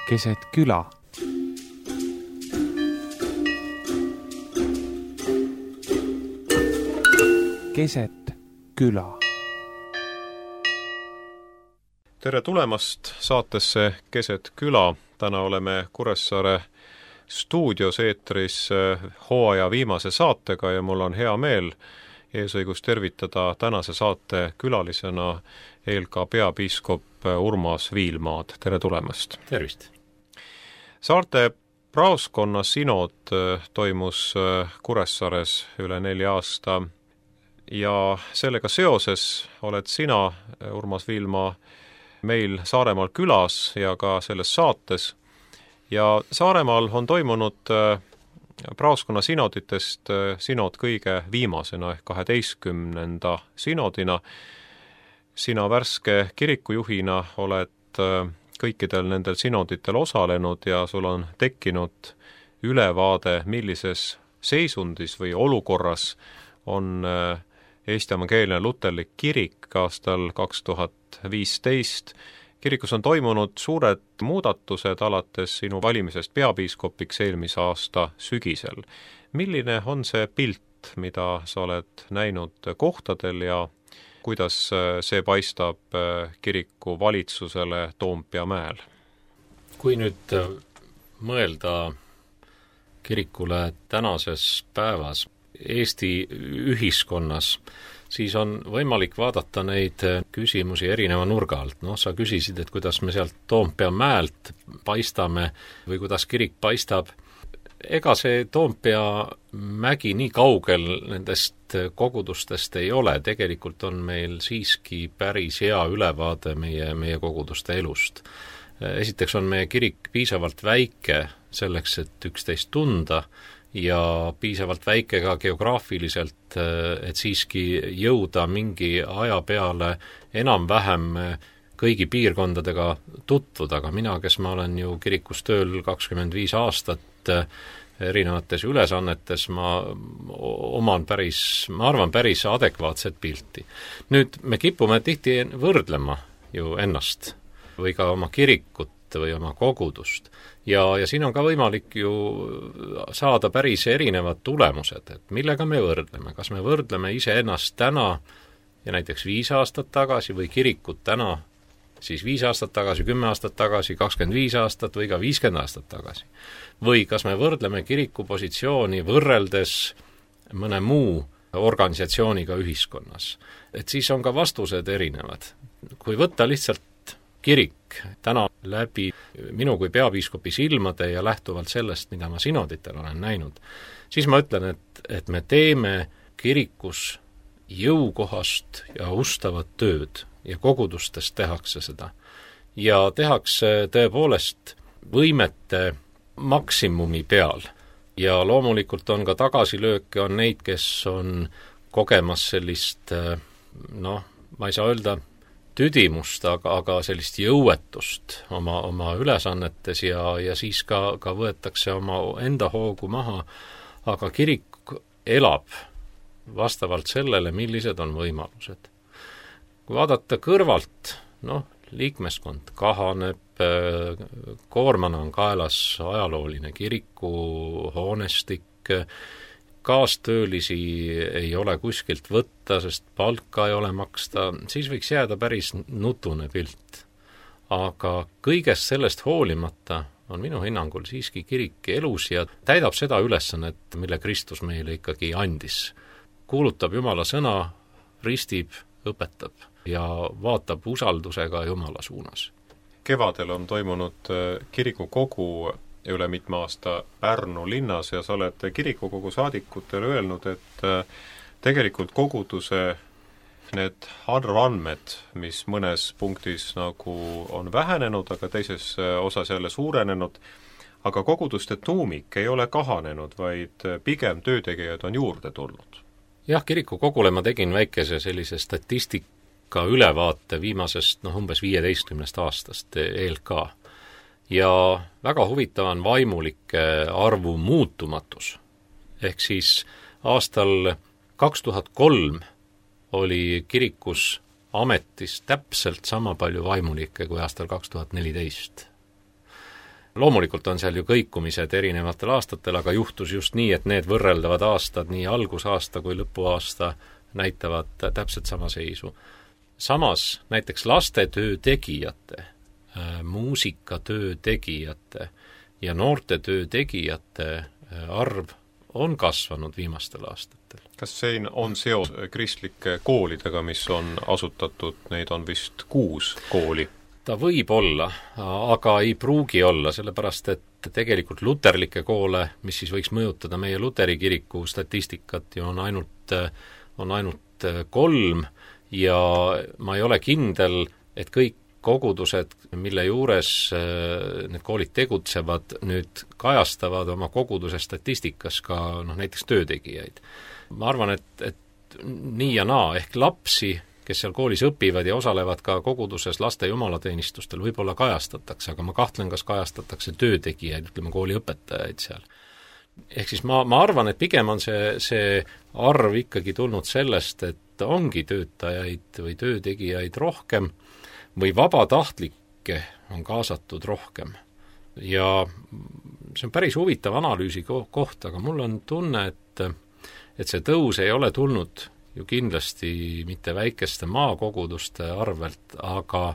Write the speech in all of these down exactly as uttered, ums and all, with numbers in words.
keset küla. Keset küla. Tere tulemast saatesse Keset küla. Täna oleme Kuressaare stuudios eetris hooaja viimase saatega ja mul on hea meel eesõigus tervitada tänase saate külalisena E L K peapiiskop Urmas Viilmaad. Tere tulemast! Tervist! Saarte praoskonna sinod toimus Kuressaares üle nelja aasta ja sellega seoses oled sina, Urmas Viilmaa, meil Saaremaal külas ja ka selles saates. Ja Saaremaal on toimunud praoskonna sinoditest sinod kõige viimasena ehk kaheteistkümnenda sinodina. Sina värske kirikujuhina oled kõikidel nendel sinoditel osalenud ja sul on tekkinud ülevaade, millises seisundis või olukorras on Eesti Evangeelne Luterlik kirik aastal kaks tuhat viisteist. Kirikus on toimunud suured muudatused alates sinu valimisest peapiiskopiks eelmise aasta sügisel. Milline on see pilt, mida sa oled näinud kohtadel ja kuidas see paistab kiriku valitsusele Toompea mäel? Kui nüüd mõelda kirikule tänases päevas Eesti ühiskonnas, siis on võimalik vaadata neid küsimusi erineva nurga alt. No, sa küsisid, et kuidas me sealt Toompea mäelt paistame või kuidas kirik paistab. Ega see Toompea mägi nii kaugel nendest kogudustest ei ole. Tegelikult on meil siiski päris hea ülevaade meie, meie koguduste elust. Esiteks on meie kirik piisavalt väike selleks, et üksteist tunda ja piisavalt väike ka geograafiliselt, et siiski jõuda mingi aja peale enam-vähem kõigi piirkondadega tutvuda, aga mina, kes ma olen ju kirikus tööl kakskümmend viis aastat erinevates ülesannetes, ma oman päris, ma arvan, päris adekvaatset pilti. Nüüd me kipume tihti võrdlema ju ennast või ka oma kirikut või oma kogudust. Ja, ja siin on ka võimalik ju saada päris erinevad tulemused, et millega me võrdleme. Kas me võrdleme iseennast täna ja näiteks viis aastat tagasi või kirikut täna, siis viis aastat tagasi, kümme aastat tagasi, kakskümmend viis aastat või ka viiskümmend aastat tagasi. Või kas me võrdleme kiriku positsiooni võrreldes mõne muu organisatsiooniga ühiskonnas. Et siis on ka vastused erinevad. Kui võtta lihtsalt kirik täna läbi minu kui peapiiskopi silmade ja lähtuvalt sellest, mida ma sinoditel olen näinud, siis ma ütlen, et, et me teeme kirikus jõukohast ja ustavat tööd ja kogudustes tehakse seda. Ja tehakse tõepoolest võimete maksimumi peal. Ja loomulikult on ka tagasilööke, on neid, kes on kogemas sellist, noh, ma ei saa öelda tüdimust, aga, aga sellist jõuetust oma, oma ülesannetes ja, ja siis ka, ka võetakse oma enda hoogu maha, aga kirik elab vastavalt sellele, millised on võimalused. Kui vaadata kõrvalt, noh, liikmeskond kahaneb, koormana on kaelas ajalooline kiriku hoonestik, kaastöölisi ei ole kuskilt võtta, sest palka ei ole maksta, siis võiks jääda päris nutune pilt. Aga kõigest sellest hoolimata on minu hinnangul siiski kirik elus ja täidab seda ülesannet, mille Kristus meile ikkagi andis. Kuulutab Jumala sõna, ristib, õpetab ja vaatab usaldusega Jumala suunas. Kevadel on toimunud kirikukogu üle mitme aasta Pärnu linnas ja sa oled kirikukogu saadikutele öelnud, et tegelikult koguduse need arvandmed, mis mõnes punktis nagu on vähenenud, aga teises osas jälle suurenenud, aga koguduste tuumik ei ole kahanenud, vaid pigem töötegijad on juurde tulnud. Jah, kirikukogule ma tegin väikese sellise statistika ülevaate viimasest, noh, umbes viieteistkümnest aastast E L K. Ja väga huvitav on vaimulike arvu muutumatus. Ehk siis aastal kaks tuhat kolm oli kirikus ametis täpselt sama palju vaimulikke kui aastal kaks tuhat neliteist. loomulikult on seal ju kõikumised erinevatel aastatel, aga juhtus just nii, et need võrreldavad aastad, nii algusaasta kui lõpuaasta, näitavad täpselt sama seisu. Samas näiteks lastetöö tegijate, muusikatöö tegijate ja noortetöö tegijate arv on kasvanud viimastel aastatel. Kas siin on seos kristlike koolidega, mis on asutatud, neid on vist kuus kooli? Ta võib olla, aga ei pruugi olla, sellepärast et tegelikult luterlikke koole, mis siis võiks mõjutada meie luteri kiriku statistikat, ju on ainult, on ainult kolm ja ma ei ole kindel, et kõik kogudused, mille juures need koolid tegutsevad, nüüd kajastavad oma koguduse statistikas ka noh, näiteks töötegijaid. Ma arvan, et, et nii ja naa, ehk lapsi, kes seal koolis õpivad ja osalevad ka koguduses laste jumalateenistustel, võib-olla kajastatakse, aga ma kahtlen, kas kajastatakse töötegijaid, ütleme kooli õpetajaid seal. Ehk siis ma, ma arvan, et pigem on see, see arv ikkagi tulnud sellest, et ongi töötajaid või töötegijaid rohkem, või vabatahtlikke on kaasatud rohkem. Ja see on päris huvitav analüüsi koht, aga mul on tunne, et, et see tõus ei ole tulnud ju kindlasti mitte väikeste maakoguduste arvelt, aga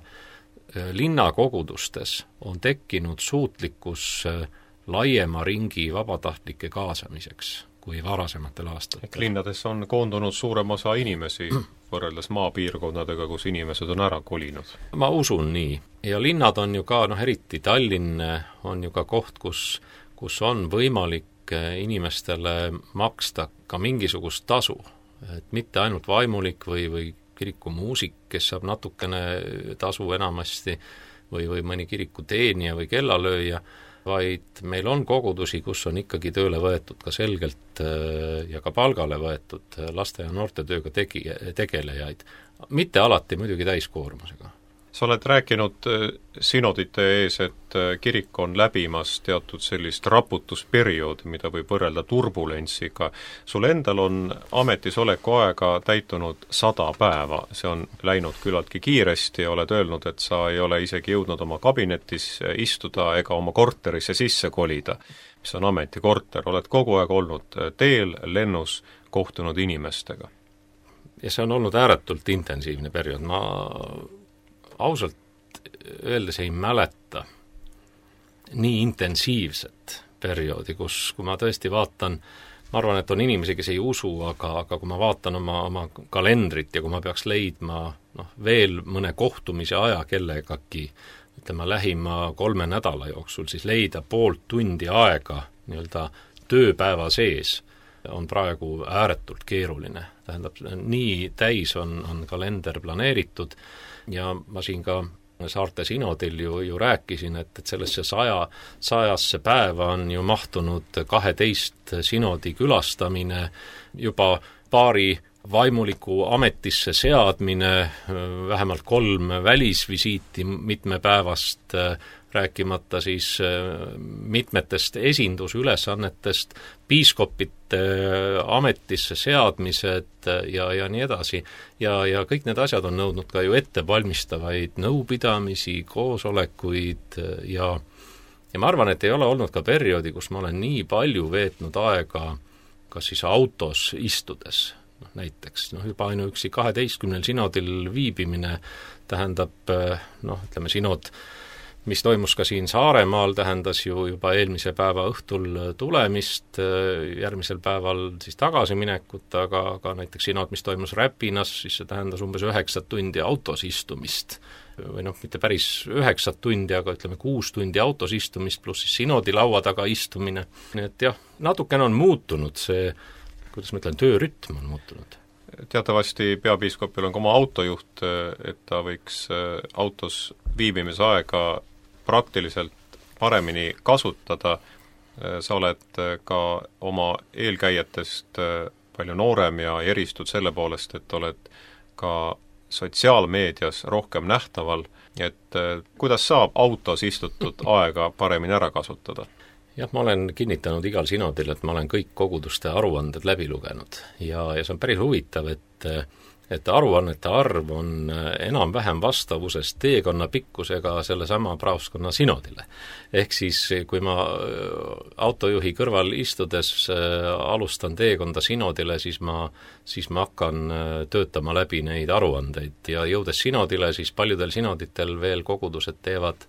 linnakogudustes on tekkinud suutlikkus laiema ringi vabatahtlike kaasamiseks kui varasematel aastatel. Linnades on koondunud suurem osa inimesi võrreldes maapiirkonnadega, kus inimesed on ära kolinud. Ma usun nii. Ja linnad on ju ka, noh eriti Tallinn on ju ka koht, kus, kus on võimalik inimestele maksta ka mingisugust tasu. Et mitte ainult vaimulik või, või kirikumuusik, kes saab natukene tasu enamasti või, või mõni kirikuteenija või kellalööja, vaid meil on kogudusi, kus on ikkagi tööle võetud ka selgelt ja ka palgale võetud laste- ja noortetööga tegi, tegelejaid. Mitte alati muidugi täiskoormusega. Sa oled rääkinud sinodite ees, et kirik on läbimas teatud sellist raputusperioodi, mida võib võrrelda turbulentsiga. Sul endal on ametisoleku aega täitunud sada päeva. See on läinud küllaltki kiiresti ja oled öelnud, et sa ei ole isegi jõudnud oma kabinetis istuda ega oma korterisse sisse kolida, mis on ametikorter. Oled kogu aeg olnud teel, lennus, kohtunud inimestega. Ja see on olnud ääretult intensiivne periood. Ma ausalt öeldes ei mäleta nii intensiivset perioodi, kus, kui ma tõesti vaatan, ma arvan, et on inimesi, kes ei usu, aga, aga kui ma vaatan oma, oma kalendrit ja kui ma peaks leidma noh, veel mõne kohtumise aja kellegagi, ütleme lähima kolme nädala jooksul, siis leida poolt tundi aega nii-öelda tööpäeva sees on praegu ääretult keeruline. Tähendab, nii täis on, on kalender planeeritud ja ma siin ka Saarte sinodil ju, ju rääkisin, et, et sellesse saja, sajasse päeva on ju mahtunud kaheteist sinodi külastamine, juba paari vaimuliku ametisse seadmine, vähemalt kolm välisvisiiti mitmepäevast, rääkimata siis mitmetest esindusülesannetest, piiskopite ametisse seadmised ja, ja nii edasi. Ja, ja kõik need asjad on nõudnud ka ju ettevalmistavaid nõupidamisi, koosolekuid ja, ja ma arvan, et ei ole olnud ka perioodi, kus ma olen nii palju veetnud aega kas siis autos istudes, noh, näiteks noh, juba ainuüksi kaheteistkümnel sinodil viibimine tähendab, noh, ütleme sinod, mis toimus ka siin Saaremaal, tähendas ju juba eelmise päeva õhtul tulemist, järgmisel päeval siis tagasiminekut, aga, aga näiteks sinod, mis toimus Räpinas, siis see tähendas umbes üheksat tundi autos istumist. Või noh, mitte päris üheksat tundi, aga ütleme kuus tundi autos istumist, pluss siis sinodi laua taga istumine. Nii et jah, natukene on muutunud see, kuidas ma ütlen, töörütm on muutunud. Teatavasti peapiiskopil on ka oma autojuht, et ta võiks autos viibimise aega praktiliselt paremini kasutada. Sa oled ka oma eelkäijatest palju noorem ja eristud selle poolest, et oled ka sotsiaalmeedias rohkem nähtaval, et kuidas saab autos istutud aega paremini ära kasutada? Jah, ma olen kinnitanud igal sinodil, et ma olen kõik koguduste aruanded läbi lugenud ja, ja see on päris huvitav, et et aruannete arv on enam-vähem vastavuses teekonna pikkusega sellesama praoskonna sinodile. Ehk siis, kui ma autojuhi kõrval istudes alustan teekonda sinodile, siis ma, siis ma hakkan töötama läbi neid aruandeid ja jõudes sinodile, siis paljudel sinoditel veel kogudused teevad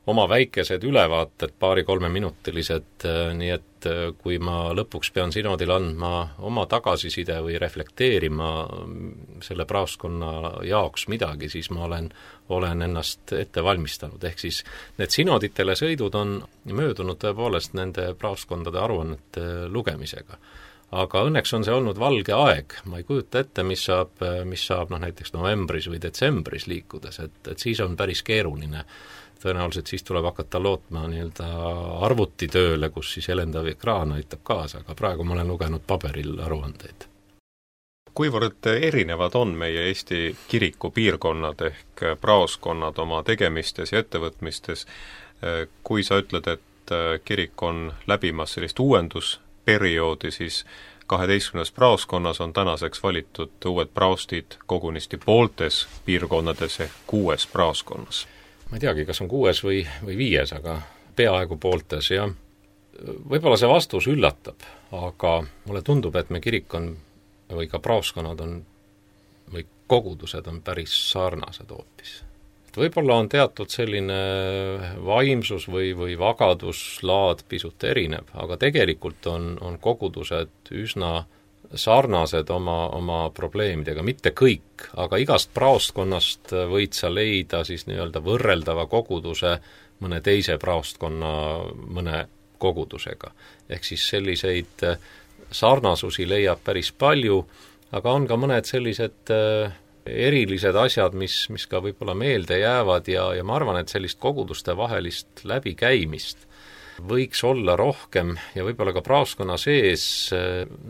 oma väikesed ülevaated, paari-kolmeminutilised, nii et kui ma lõpuks pean sinodil andma oma tagasiside või reflekteerima selle praoskonna jaoks midagi, siis ma olen, olen ennast ette valmistanud. Ehk siis need sinoditele sõidud on möödunud tõepoolest nende praoskondade aruannete lugemisega. Aga õnneks on see olnud valge aeg, ma ei kujuta ette, mis saab, mis saab noh, näiteks novembris või detsembris liikudes, et, et siis on päris keeruline. Tõenäoliselt siis tuleb hakata lootma nii-öelda arvutitööle, kus siis helendav ekraan aitab kaasa, aga praegu ma olen lugenud paberil aruandeid. Kuivõrd erinevad on meie Eesti kiriku piirkonnad ehk praoskonnad oma tegemistes ja ettevõtmistes, kui sa ütled, et kirik on läbimas sellist uuendusperioodi, siis kaheteistkümnes praoskonnas on tänaseks valitud uued praostid kogunisti pooltes piirkonnades ehk kuues praoskonnas. Ma ei teagi, kas on kuues või, või viies, aga peaaegu pooltes ja võib-olla see vastus üllatab, aga mulle tundub, et me kirik on või ka praoskonnad on või kogudused on päris sarnased hoopis. Et võib-olla on teatud selline vaimsus või, või vagaduslaad pisut erinev, aga tegelikult on, on kogudused üsna sarnased oma, oma probleemidega, mitte kõik, aga igast praostkonnast võid sa leida siis nii-öelda võrreldava koguduse mõne teise praostkonna mõne kogudusega. Ehk siis selliseid sarnasusi leiab päris palju, aga on ka mõned sellised erilised asjad, mis, mis ka võib-olla meelde jäävad ja, ja ma arvan, et sellist koguduste vahelist läbikäimist võiks olla rohkem ja võib-olla ka praoskonna sees,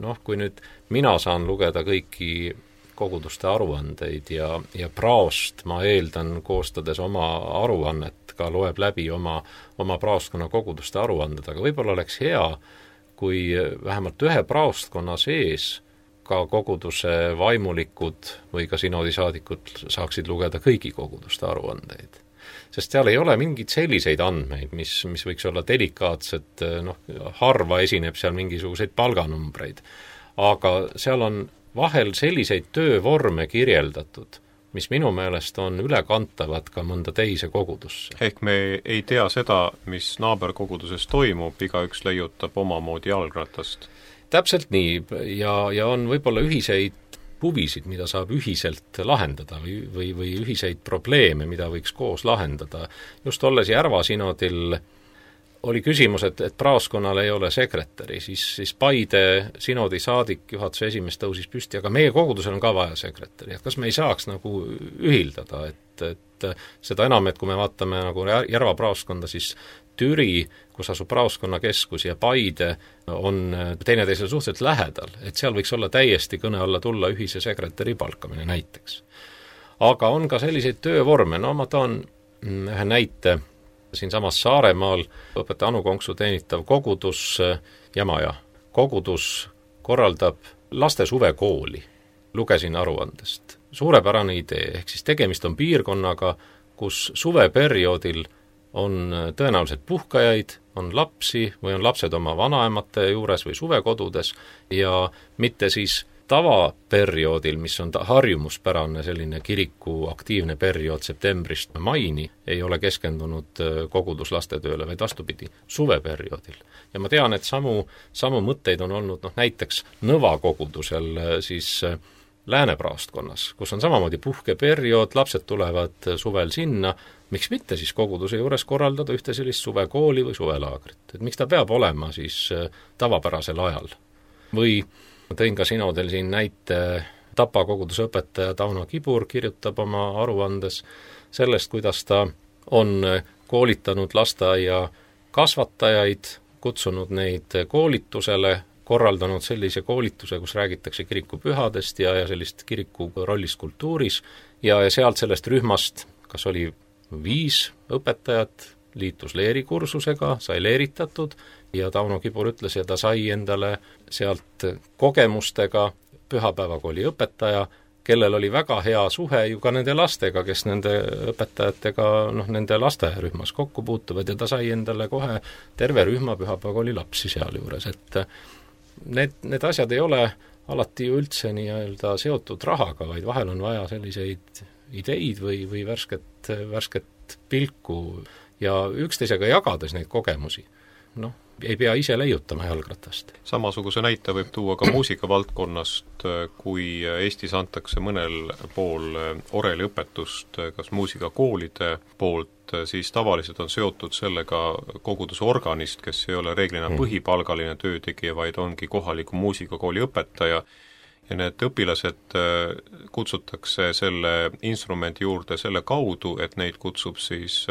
noh, kui nüüd mina saan lugeda kõiki koguduste aruandeid ja, ja praost, ma eeldan, koostades oma aruannet, ka loeb läbi oma, oma praostkonna koguduste aruanded, aga võib-olla oleks hea, kui vähemalt ühe praostkonna sees ka koguduse vaimulikud või ka sinodisaadikud saaksid lugeda kõigi koguduste aruandeid. Sest seal ei ole mingeid selliseid andmeid, mis, mis võiks olla delikaatsed, noh, harva esineb seal mingisuguseid palganumbreid. Aga seal on vahel selliseid töövorme kirjeldatud, mis minu meelest on ülekantavad ka mõnda teise kogudusse. Ehk me ei tea seda, mis naaberkoguduses toimub, igaüks leiutab omamoodi jalgratast. Täpselt nii ja, ja on võib-olla ühiseid huvisid, mida saab ühiselt lahendada või, või, või ühiseid probleeme, mida võiks koos lahendada. Just olles Järva sinodil oli küsimus, et, et praoskonnal ei ole sekretäri, siis, siis Paide sinodi saadik, juhatuse esimees tõusis püsti, aga meie kogudusel on ka vaja sekretäri, et kas me ei saaks nagu ühildada, et, et seda enam, et kui me vaatame nagu Järva praoskonda, siis Türi, kus asub praoskonna keskus ja Paide on teineteisele suhteliselt lähedal, et seal võiks olla täiesti kõne alla tulla ühise sekretäri palkamine näiteks. Aga on ka selliseid töövorme, no ma toon ühe näite siinsamas Saaremaal, õpetaja Anu Konksu teenitav kogudus Jamaja. Kogudus korraldab laste suvekooli, lugesin aruandest. Suurepärane idee, ehk siis tegemist on piirkonnaga, kus suveperioodil on tõenäoliselt puhkajaid, on lapsi või on lapsed oma vanaemate juures või suvekodudes ja mitte siis tavaperioodil, mis on harjumuspärane selline kiriku aktiivne periood septembrist maini, ei ole keskendunud koguduslastetööle, vaid vastupidi, suveperioodil. Ja ma tean, et samu, samu mõtteid on olnud noh, näiteks Nõva kogudusel siis Läänepraostkonnas, kus on samamoodi puhkeperiood, lapsed tulevad suvel sinna, miks mitte siis koguduse juures korraldada ühte sellist suvekooli või suvelaagrit, et miks ta peab olema siis tavapärasel ajal. Või tõin ka sinodel siin näite, Tapa koguduse õpetaja Tauno Kibur kirjutab oma aruandes sellest, kuidas ta on koolitanud lasteaia kasvatajaid, kutsunud neid koolitusele, korraldanud sellise koolituse, kus räägitakse kirikupühadest ja, ja sellist kiriku rollist kultuuris ja, ja sealt sellest rühmast, kas oli viis õpetajat, liitus leerikursusega, sai leeritatud ja Tauno Kibur ütles, ja ta sai endale sealt kogemustega pühapäevakooli õpetaja kellel oli väga hea suhe ju ka nende lastega, kes nende õpetajatega, noh, nende lasteaiarühmas kokku puutuvad ja ta sai endale kohe terve rühma pühapäevakooli lapsi seal juures, et need, need asjad ei ole alati ju üldse nii-öelda seotud rahaga, vaid vahel on vaja selliseid ideid või, või värsket, värsket pilku ja üksteisega jagades neid kogemusi. Noh, ei pea ise leiutama jalgratast. Samasuguse näite võib tuua ka muusikavaldkonnast, kui Eestis antakse mõnel pool oreliõpetust kas muusikakoolide poolt, siis tavaliselt on seotud sellega koguduse organist, kes ei ole reeglina põhipalgaline töötegija, vaid ongi kohaliku muusikakooli õpetaja, ja need õpilased kutsutakse selle instrumendi juurde selle kaudu, et neid kutsub siis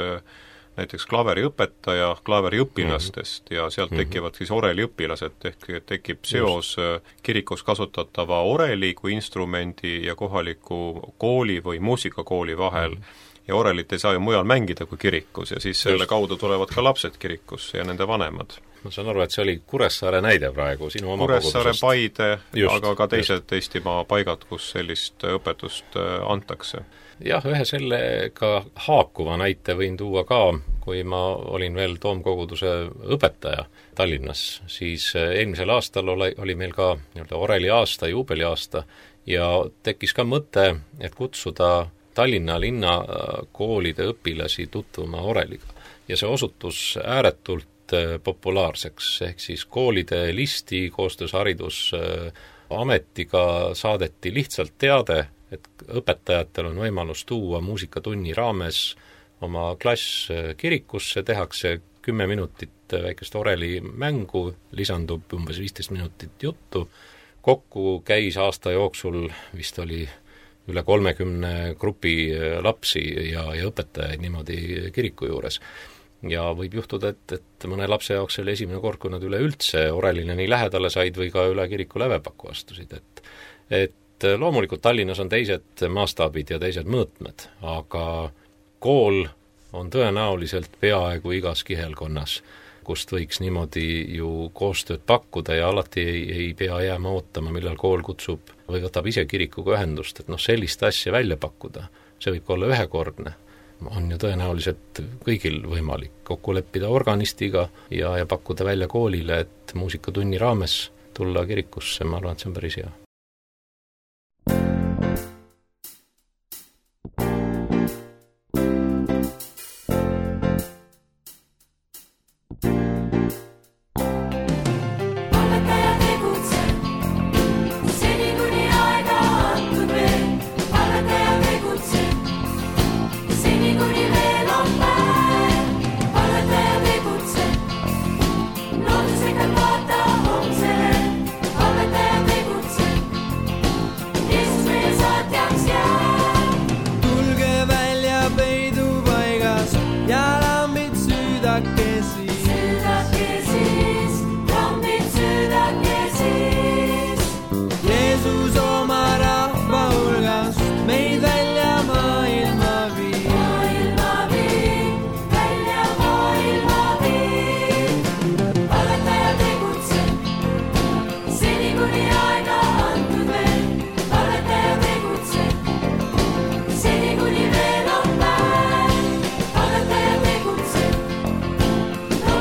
näiteks klaveriõpetaja klaveriõpilastest ja sealt tekivad siis oreliõpilased, ehk tekib seos kirikus kasutatava oreli kui instrumendi ja kohaliku kooli või muusikakooli vahel. Ja orelit ei saa ju mujal mängida kui kirikus ja siis selle kaudu tulevad ka lapsed kirikusse ja nende vanemad. Ma saan aru, et see oli Kuressaare näide praegu sinu oma Kuressaare, Paide, just, aga ka teised just. Eestimaa paigad, kus sellist õpetust antakse. Jah, ühe sellega haakuva näite võin tuua ka, kui ma olin veel Toomkoguduse õpetaja Tallinnas, siis eelmisel aastal oli, oli meil ka nii-öelda oreli aasta, juubeli aasta ja tekkis ka mõte, et kutsuda Tallinna linnakoolide õpilasi tutvuma oreliga. Ja see osutus ääretult populaarseks, ehk siis koolide listi koostöös haridusametiga saadeti lihtsalt teade, et õpetajatel on võimalus tuua muusikatunni raames oma klass kirikusse, tehakse kümme minutit väikest oreli mängu, lisandub umbes viisteist minutit juttu. Kokku käis aasta jooksul, vist oli üle kolmekümne grupi lapsi ja, ja õpetajaid niimoodi kiriku juures. Ja võib juhtuda, et, et mõne lapse jaoks oli esimene kord, kui nad üleüldse orelile nii lähedale said või ka üle kiriku lävepaku astusid. Et, et loomulikult Tallinnas on teised maastaabid ja teised mõõtmed, aga kool on tõenäoliselt peaaegu igas kihelkonnas, kust võiks niimoodi ju koostööd pakkuda ja alati ei, ei pea jääma ootama, millal kool kutsub või võtab ise kirikuga ühendust, et noh, sellist asja välja pakkuda, see võib olla ühekordne. On ju tõenäoliselt kõigil võimalik kokku leppida organistiga ja, ja pakkuda välja koolile, et muusikatunni raames tulla kirikusse, ma arvan, et see on päris hea. No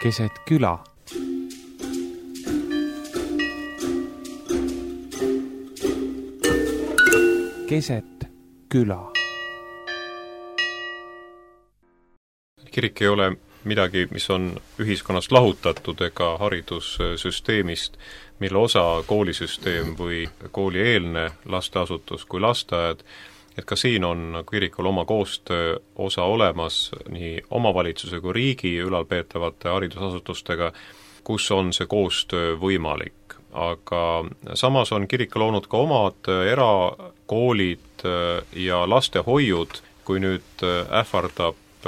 keset küla. Keset küla. Kirik ei ole midagi, mis on ühiskonnast lahutatud ega haridussüsteemist, mille osa koolisüsteem või koolieelne lasteasutus kui lasteaed, et ka siin on kirikul oma koostöö osa olemas nii omavalitsuse kui riigi ülalpeetavate haridusasutustega, kus on see koostöö võimalik. Aga samas on kirik loonud ka omad erakoolid ja lastehoiud, kui nüüd ähvardab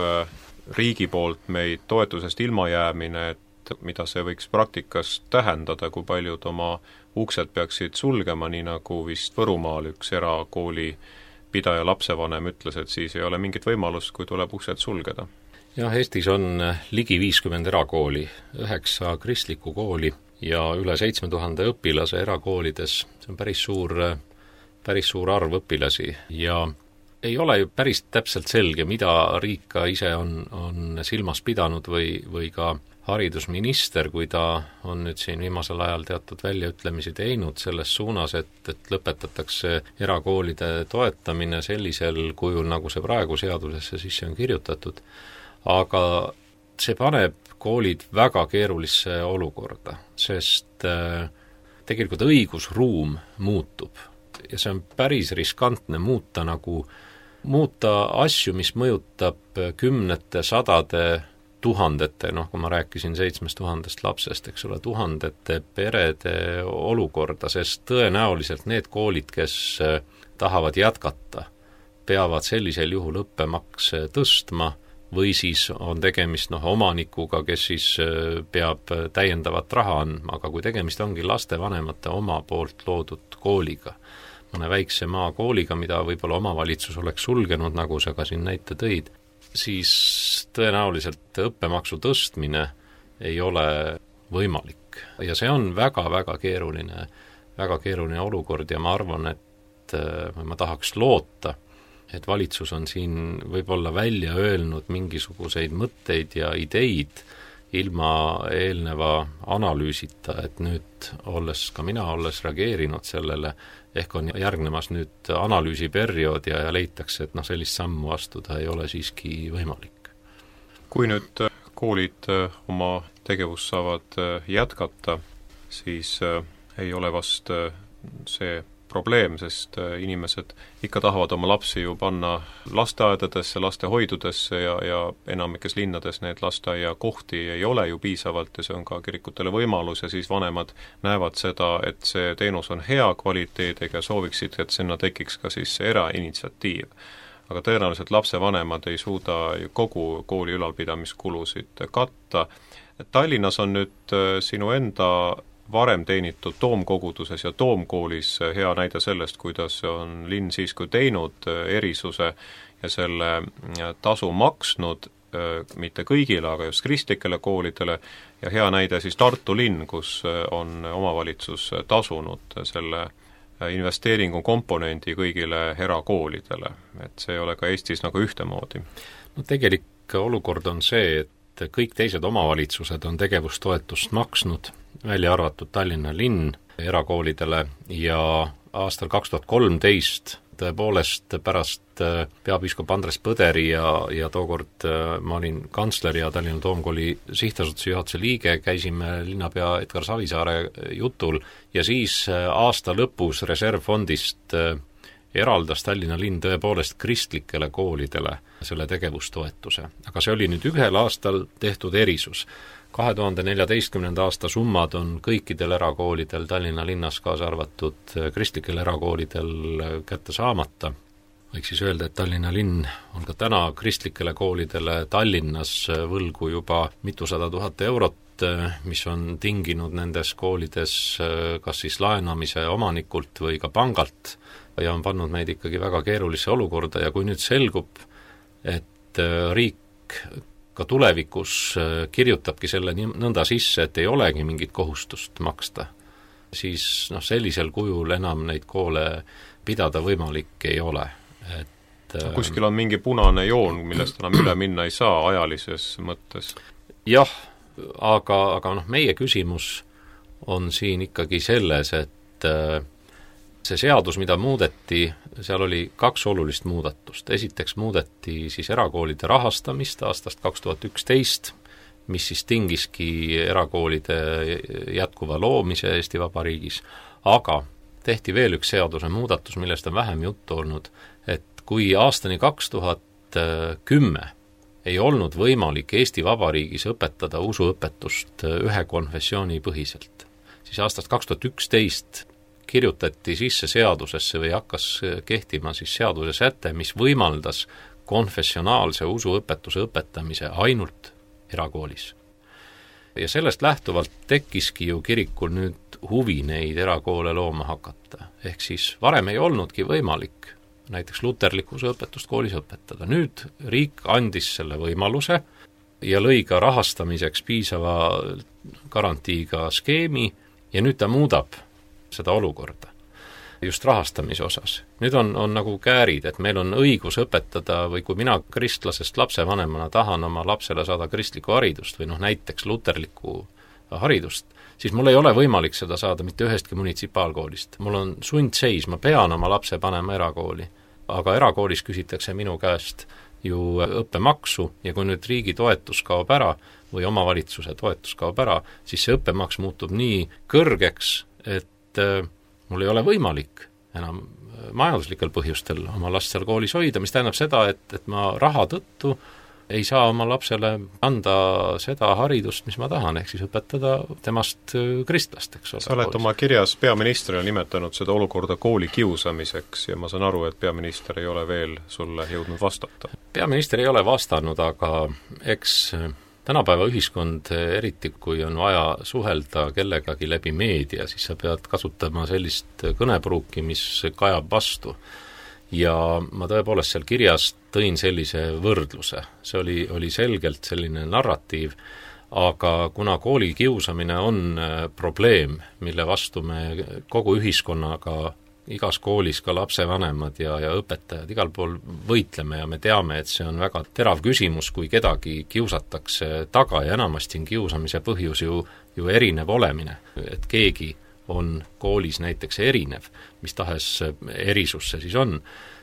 riigi poolt meid toetusest ilmajäämine, et mida see võiks praktikas tähendada, kui paljud oma uksed peaksid sulgema, nii nagu vist Võrumaal üks erakooli pidaja lapsevanem ütles, et siis ei ole mingit võimalust, kui tuleb uksed sulgeda. Jah, Eestis on ligi viiskümmend erakooli, üheksa kristlikku kooli ja üle seitsme tuhande õpilase erakoolides. See on päris suur, päris suur arv õpilasi ja ei ole ju päris täpselt selge, mida riik ka ise on, on silmas pidanud või, või ka haridusminister, kui ta on nüüd siin viimasel ajal teatud väljaütlemisi teinud selles suunas, et, et lõpetatakse erakoolide toetamine sellisel kujul, nagu see praegu seadusesse sisse on kirjutatud. Aga see paneb koolid väga keerulisse olukorda, sest äh, tegelikult õigusruum muutub ja see on päris riskantne muuta nagu muuta asju, mis mõjutab kümnete, sadade, tuhandete, noh, kui ma rääkisin seitsmest tuhandest lapsest, eks ole, tuhandete perede olukorda, sest tõenäoliselt need koolid, kes tahavad jätkata, peavad sellisel juhul õppemakse tõstma või siis on tegemist noh, omanikuga, kes siis peab täiendavat raha andma, aga kui tegemist ongi lastevanemate oma poolt loodud kooliga, mõne väikse maakooliga, mida võib-olla omavalitsus oleks sulgenud, nagu sa ka siin näite tõid, siis tõenäoliselt õppemaksu tõstmine ei ole võimalik. Ja see on väga-väga keeruline, väga keeruline olukord ja ma arvan, et ma tahaks loota, et valitsus on siin võib-olla välja öelnud mingisuguseid mõtteid ja ideid ilma eelneva analüüsita, et nüüd olles, ka mina olles reageerinud sellele, ehk on järgnemas nüüd analüüsiperiood ja, ja leitakse, et noh, sellist sammu astuda ei ole siiski võimalik. Kui nüüd koolid oma tegevust saavad jätkata, siis ei ole vast see probleem, sest inimesed ikka tahavad oma lapsi ju panna lasteaedadesse, lastehoidudesse ja, ja enamikes linnades need lasteaiakohti ei ole ju piisavalt ja see on ka kirikutele võimalus ja siis vanemad näevad seda, et see teenus on hea kvaliteediga ja sooviksid, et sinna tekiks ka siis erainitsiatiiv. Aga tõenäoliselt lapsevanemad ei suuda kogu kooli ülalpidamiskulusid katta. Tallinnas on nüüd sinu enda varem teenitud Toomkoguduses ja Toomkoolis hea näide sellest, kuidas on linn siiski teinud erisuse ja selle tasu maksnud mitte kõigile, aga just kristlikele koolidele ja hea näide siis Tartu linn, kus on omavalitsus tasunud selle investeeringu komponendi kõigile erakoolidele, et see ei ole ka Eestis nagu ühtemoodi. No tegelik olukord on see, et kõik teised omavalitsused on tegevustoetust maksnud, välja arvatud Tallinna linn erakoolidele ja aastal kaks tuhat kolmteist tõepoolest pärast peapiiskop Andres Põderi ja, ja tookord ma olin kantsler ja Tallinna Toomkooli sihtasutuse juhatuse liige, käisime linnapea Edgar Savisaare jutul ja siis aasta lõpus reservfondist eraldas Tallinna linn tõepoolest kristlikele koolidele selle tegevustoetuse. Aga see oli nüüd ühel aastal tehtud erisus. kahe tuhande neljateistkümnenda aasta summad on kõikidel erakoolidel Tallinna linnas kaasa arvatud kristlikel erakoolidel kätte saamata. Võiks siis öelda, et Tallinna linn on ka täna kristlikele koolidele Tallinnas võlgu juba mitusada tuhat eurot, mis on tinginud nendes koolides kas siis laenamise omanikult või ka pangalt ja on pannud meid ikkagi väga keerulisse olukorda ja kui nüüd selgub, et riik ka tulevikus kirjutabki selle nõnda sisse, et ei olegi mingit kohustust maksta, siis noh, sellisel kujul enam neid koole pidada võimalik ei ole. Et, kuskil on mingi punane joon, millest enam üle minna ei saa ajalises mõttes? Jah, aga, aga noh, meie küsimus on siin ikkagi selles, et see seadus, mida muudeti, seal oli kaks olulist muudatust. Esiteks muudeti siis erakoolide rahastamist aastast kaks tuhat üksteist, mis siis tingiski erakoolide jätkuva loomise Eesti Vabariigis, aga tehti veel üks seaduse muudatus, millest on vähem juttu olnud, et kui aastani kaks tuhat kümme ei olnud võimalik Eesti Vabariigis õpetada usuõpetust ühe konfessiooni põhiselt, siis aastast kaks tuhat üksteist kirjutati sisse seadusesse või hakkas kehtima siis seaduse säte, mis võimaldas konfessionaalse usuõpetuse õpetamise ainult erakoolis. Ja sellest lähtuvalt tekkiski ju kirikul nüüd huvi neid erakoole looma hakata. Ehk siis varem ei olnudki võimalik näiteks luterliku usuõpetust koolis õpetada. Nüüd riik andis selle võimaluse ja lõi ka rahastamiseks piisava garantiiga skeemi ja nüüd ta muudab seda olukorda just rahastamise osas. Nüüd on, on nagu käärid, et meil on õigus õpetada või kui mina kristlasest lapsevanemana tahan oma lapsele saada kristlikku haridust või noh, näiteks luterlikku haridust, siis mul ei ole võimalik seda saada mitte ühestki munitsipaalkoolist. Mul on sundseis, ma pean oma lapse panema erakooli, aga erakoolis küsitakse minu käest ju õppemaksu ja kui nüüd riigi toetus kaob ära või omavalitsuse toetus kaob ära, siis see õppemaks muutub nii kõrgeks, et mul ei ole võimalik enam majanduslikel põhjustel oma last seal koolis hoida, mis tähendab seda, et, et ma raha tõttu ei saa oma lapsele anda seda haridust, mis ma tahan, ehk siis õpetada temast kristlast, eks ole. Sa oled oma kirjas peaministrile nimetanud seda olukorda kooli kiusamiseks ja ma saan aru, et peaminister ei ole veel sulle jõudnud vastata. Peaminister ei ole vastanud, aga eks tänapäeva ühiskond, eriti kui on vaja suhelda kellegagi läbi meedia, siis sa pead kasutama sellist kõnepruuki, mis kajab vastu. Ja ma tõepoolest seal kirjas tõin sellise võrdluse. See oli, oli selgelt selline narratiiv, aga kuna kooli kiusamine on probleem, mille vastu me kogu ühiskonnaga igas koolis ka lapsevanemad ja, ja õpetajad igal pool võitleme ja me teame, et see on väga terav küsimus, kui kedagi kiusatakse taga ja enamasti on kiusamise põhjus ju, ju erinev olemine, et keegi on koolis näiteks erinev, mis tahes erisus see siis on,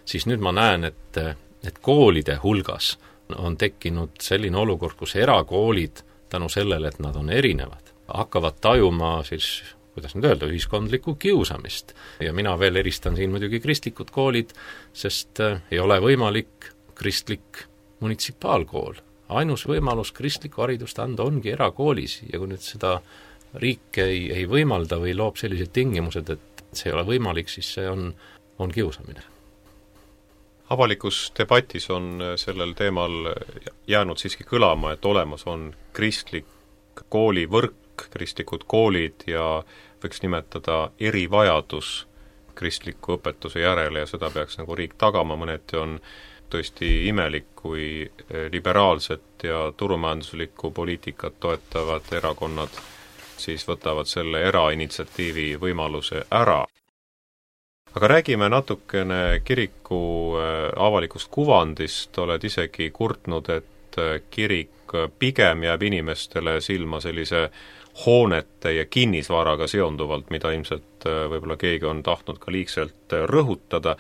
siis nüüd ma näen, et, et koolide hulgas on tekkinud selline olukord, kus erakoolid tänu sellele, et nad on erinevad, hakkavad tajuma siis kuidas nüüd öelda, ühiskondlikku kiusamist. Ja mina veel eristan siin muidugi kristlikud koolid, sest ei ole võimalik kristlik munitsipaalkool. Ainus võimalus kristlikku haridust anda ongi erakoolis ja kui nüüd seda riik ei, ei võimalda või loob sellised tingimused, et see ei ole võimalik, siis see on, on kiusamine. Avalikus debatis on sellel teemal jäänud siiski kõlama, et olemas on kristlik koolivõrk, kristlikud koolid ja võiks nimetada erivajadus kristliku õpetuse järele ja seda peaks nagu riik tagama, mõneti on tõesti imelik, kui liberaalset ja turumajanduslikku poliitikat toetavad erakonnad siis võtavad selle erainitsiatiivi võimaluse ära. Aga räägime natukene kiriku avalikust kuvandist, oled isegi kurtnud, et kirik pigem jääb inimestele silma sellise hoonete ja kinnisvaraga seonduvalt, mida ilmselt võib-olla keegi on tahtnud ka liigselt rõhutada.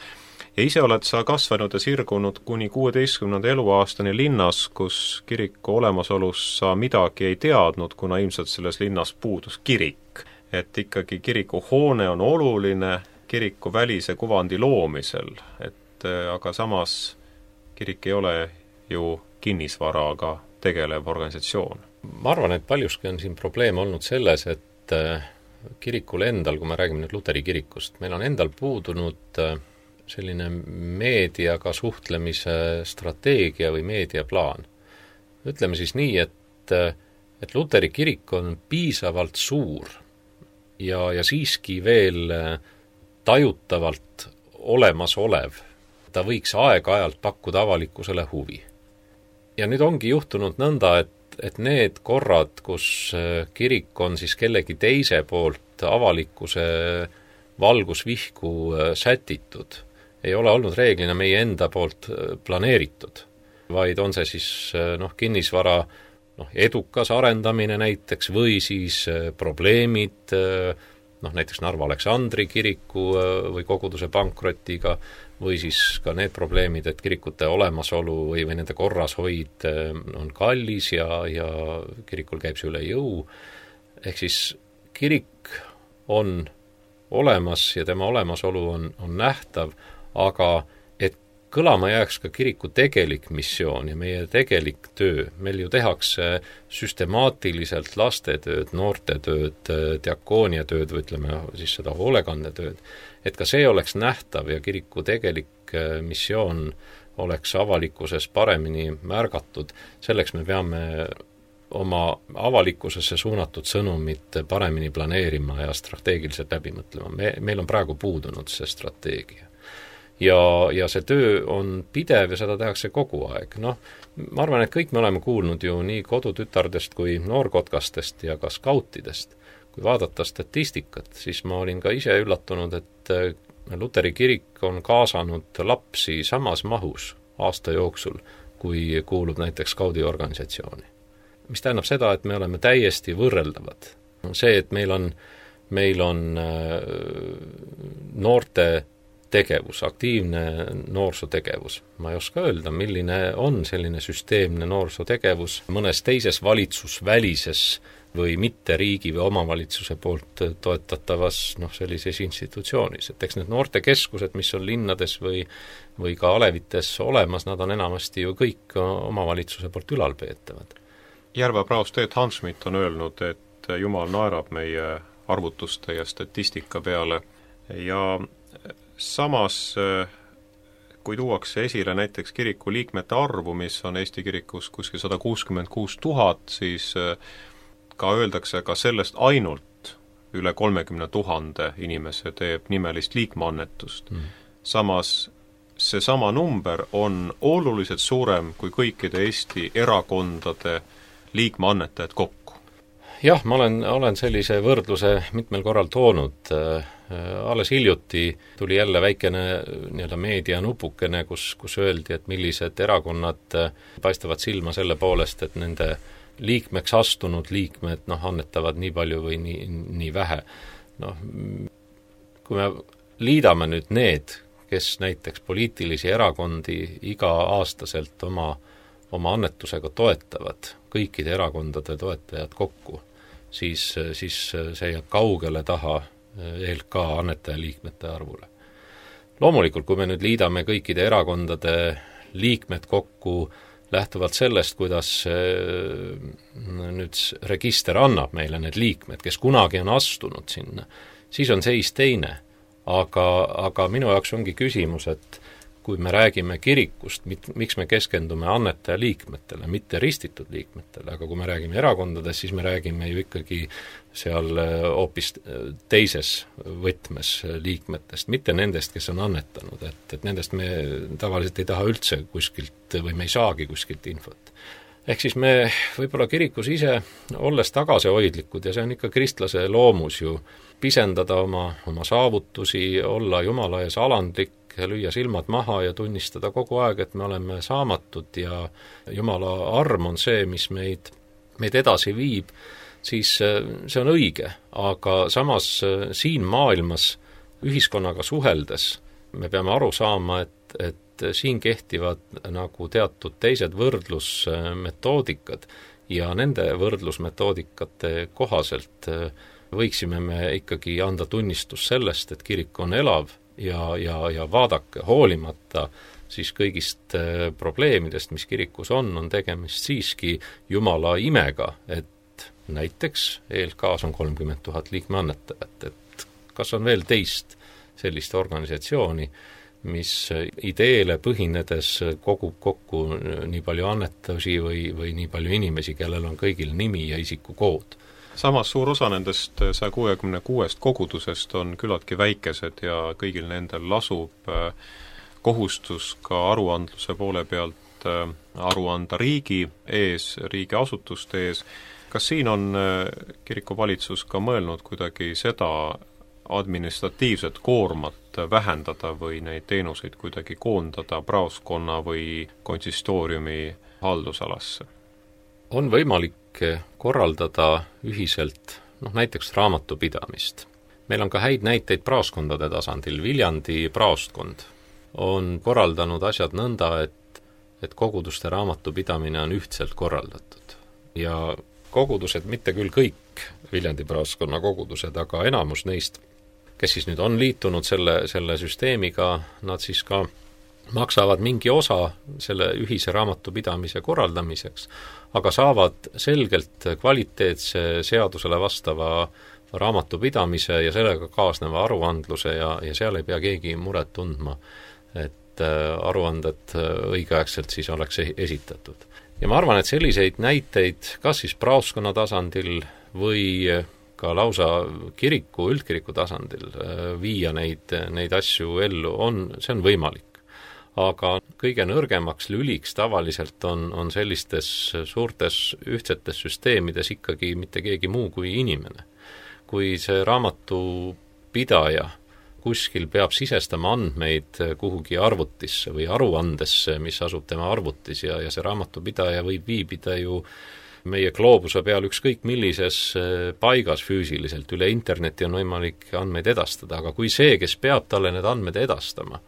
Ja ise oled sa kasvanud ja sirgunud kuni kuueteistkümnenda eluaastani linnas, kus kiriku olemasolus sa midagi ei teadnud, kuna ilmselt selles linnas puudus kirik. Et ikkagi kiriku hoone on oluline kiriku välise kuvandi loomisel, et aga samas kirik ei ole ju kinnisvaraga tegelev organisatsioon. Ma arvan, et paljuski on siin probleem olnud selles, et kirikul endal, kui me räägime nüüd Luteri kirikust, meil on endal puudunud selline meediaga suhtlemise strateegia või meediaplaan. Ütleme siis nii, et, et Luteri kirik on piisavalt suur ja, ja siiski veel tajutavalt olemasolev. Ta võiks aeg-ajalt pakkuda avalikkusele huvi. Ja nüüd ongi juhtunud nõnda, et et need korrad, kus kirik on siis kellegi teise poolt avalikkuse valgusvihku sätitud, ei ole olnud reeglina meie enda poolt planeeritud, vaid on see siis noh, kinnisvara noh, edukas arendamine näiteks või siis probleemid, noh näiteks Narva Aleksandri kiriku või koguduse pankrotiga või siis ka need probleemid, et kirikute olemasolu või, või nende korrashoid on kallis ja, ja kirikul käib see üle jõu. Ehk siis kirik on olemas ja tema olemasolu on, on nähtav, aga et kõlama jääks ka kiriku tegelik missioon ja meie tegelik töö. Meil ju tehakse süstemaatiliselt lastetööd, noortetööd, diakooniatööd või ütleme siis seda hoolekandetööd. Et ka see oleks nähtav ja kiriku tegelik missioon oleks avalikkuses paremini märgatud. Selleks me peame oma avalikkusesse suunatud sõnumit paremini planeerima ja strateegiliselt läbi mõtlema. Me, meil on praegu puudunud see strateegia. Ja, ja see töö on pidev ja seda tehakse kogu aeg. Noh, ma arvan, et kõik me oleme kuulnud ju nii kodutütardest kui noorkotkastest ja ka skautidest. Kui vaadata statistikat, siis ma olin ka ise üllatunud, et Luteri kirik on kaasanud lapsi samas mahus aasta jooksul, kui kuulub näiteks skaudiorganisatsiooni. Mis tähendab seda, et me oleme täiesti võrreldavad. See, et meil on, meil on noorte tegevus, aktiivne noorsootegevus. Ma ei oska öelda, milline on selline süsteemne noorsootegevus mõnes teises valitsusvälises või mitte riigi või omavalitsuse poolt toetatavas noh, sellises institutsioonis. Et eks need noortekeskused, mis on linnades või, või ka alevites olemas, nad on enamasti ju kõik omavalitsuse poolt ülalpeetavad. Järva praost Teet Hansmit on öelnud, et Jumal naerab meie arvutuste ja statistika peale ja samas, kui tuuakse esile näiteks kiriku liikmete arvu, mis on Eesti kirikus kuskil sada kuuskümmend kuus tuhat, siis ka öeldakse ka sellest ainult üle kolmekümne tuhande inimese teeb nimelist liikmeannetust. Mm. Samas see sama number on oluliselt suurem kui kõikide Eesti erakondade liikmeannetajad kokku. Jah, ma olen, olen sellise võrdluse mitmel korral toonud. Alles hiljuti tuli jälle väikene nii-öelda meedia nupukene, kus, kus öeldi, et millised erakonnad paistavad silma selle poolest, et nende liikmeks astunud liikmed noh, annetavad nii palju või nii, nii vähe. Noh, kui me liidame nüüd need, kes näiteks poliitilisi erakondi iga-aastaselt oma oma annetusega toetavad kõikide erakondade toetajad kokku, siis, siis see jääb kaugele taha E L K annetajaliikmete arvule. Loomulikult, kui me nüüd liidame kõikide erakondade liikmed kokku lähtuvalt sellest, kuidas nüüd register annab meile need liikmed, kes kunagi on astunud sinna, siis on seis teine. Aga, aga minu jaoks ongi küsimus, et kui me räägime kirikust, mit, miks me keskendume annetaja liikmetele, mitte ristitud liikmetele, aga kui me räägime erakondadest, siis me räägime ju ikkagi seal hoopis teises võtmes liikmetest, mitte nendest, kes on annetanud, et, et nendest me tavaliselt ei taha üldse kuskilt või me ei saagi kuskilt infot. Ehk siis me võib-olla kirikus ise, olles tagasihoidlikud, ja see on ikka kristlase loomus ju, pisendada oma, oma saavutusi, olla Jumala ees alandlik, lüüa silmad maha ja tunnistada kogu aeg, et me oleme saamatud ja Jumala arm on see, mis meid, meid edasi viib, siis see on õige, aga samas siin maailmas ühiskonnaga suheldes me peame aru saama, et, et siin kehtivad nagu teatud teised võrdlusmetoodikad ja nende võrdlusmetoodikate kohaselt võiksime me ikkagi anda tunnistus sellest, et kirik on elav ja, ja, ja vaadake, hoolimata siis kõigist probleemidest, mis kirikus on, on tegemist siiski Jumala imega, et näiteks E L K-s on kolmkümmend tuhat liikmeannetajat, et kas on veel teist sellist organisatsiooni, mis ideele põhinedes kogub kokku nii palju annetusi või, või nii palju inimesi, kellel on kõigil nimi ja isikukood. Samas suur osa nendest saja kuuekümne kuuest kogudusest on küllaltki väikesed ja kõigil nendel lasub kohustus ka aruandluse poole pealt aru anda riigi ees, riigiasutuste ees. Kas siin on kirikuvalitsus ka mõelnud kuidagi seda administratiivset koormat vähendada või neid teenuseid kuidagi koondada praoskonna või konsistooriumi haldusalasse? on võimalik korraldada ühiselt noh, näiteks raamatupidamist. Meil on ka häid näiteid praoskondade tasandil. Viljandi praostkond on korraldanud asjad nõnda, et, et koguduste raamatupidamine on ühtselt korraldatud. Ja kogudused, mitte küll kõik Viljandi praoskonna kogudused, aga enamus neist, kes siis nüüd on liitunud selle, selle süsteemiga, nad siis ka maksavad mingi osa selle ühise raamatupidamise korraldamiseks, aga saavad selgelt kvaliteetse seadusele vastava raamatupidamise ja sellega kaasneva aruandluse ja, ja seal ei pea keegi muret tundma, et aruanded õigeaegselt siis oleks esitatud. Ja ma arvan, et selliseid näiteid kas siis praoskonna tasandil või ka lausa kiriku, üldkiriku tasandil viia neid, neid asju ellu on, see on võimalik. Aga kõige nõrgemaks lüliks tavaliselt on, on sellistes suurtes ühtsetes süsteemides ikkagi mitte keegi muu kui inimene. Kui see raamatupidaja kuskil peab sisestama andmeid kuhugi arvutisse või aruandesse, mis asub tema arvutis ja, ja see raamatupidaja võib viibida ju meie gloobuse peal ükskõik millises paigas füüsiliselt, üle interneti on võimalik andmeid edastada, aga kui see, kes peab talle need andmed edastama,